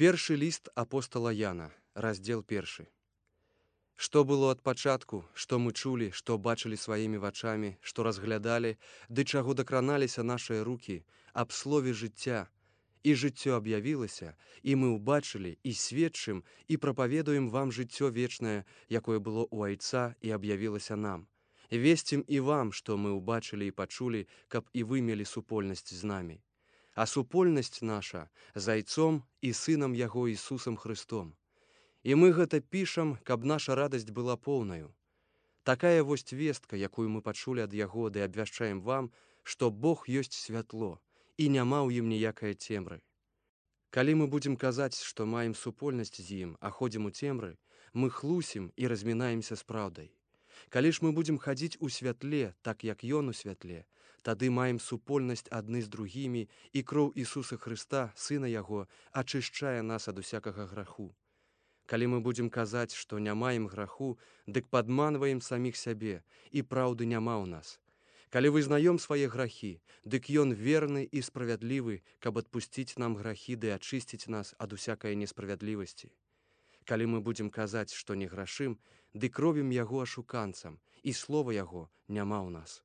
Першы ліст апостала Яна, раздзел 1. Што было ад пачатку, што мы чулі, што бачылі сваімі вачамі, што разглядалі, ды чаго дакраналіся нашыя рукі, аб слове жыцця, і жыццё аб'явілася, і мы ўбачылі, і сведчым, і прапаведуем вам жыццё вечнае, якое было ў Айца і аб'явілася нам. Весцім і вам, што мы ўбачылі і пачулі, каб і вы мелі супольнасць з намі. А супольнасць наша з Айцом і Сынам Яго Ісусам Христом. І мы гэта пішам, каб наша радасць была поўнаю. Такая вось вестка, якую мы пачулі ад Яго, ды абвяшчаем вам, што Бог ёсць святло, і няма ў ім ніякае цемры. Калі мы будзем казаць, што маем супольнасць з ім, а ходзім у цемры, мы хлусім і размінаемся з праўдай. Калі ж мы будзем хадзіць у святле, так як Ён у святле, тады маем супольнасць адны з другімі, і кроў Ісуса Хрыста, Сына Яго, ачышчае нас ад усякага граху. Калі мы будзем казаць, што не маем граху, дык падманваем саміх сябе, і праўды няма ў нас. Калі вызнаём свае грахі, дык Ён верны і справядлівы, каб адпусціць нам грахі ды ачысціць нас ад усякае несправядлівасці. Калі мы будзем казаць, што не грашым, дык робім Яго ашуканцам, і слова Яго няма ў нас.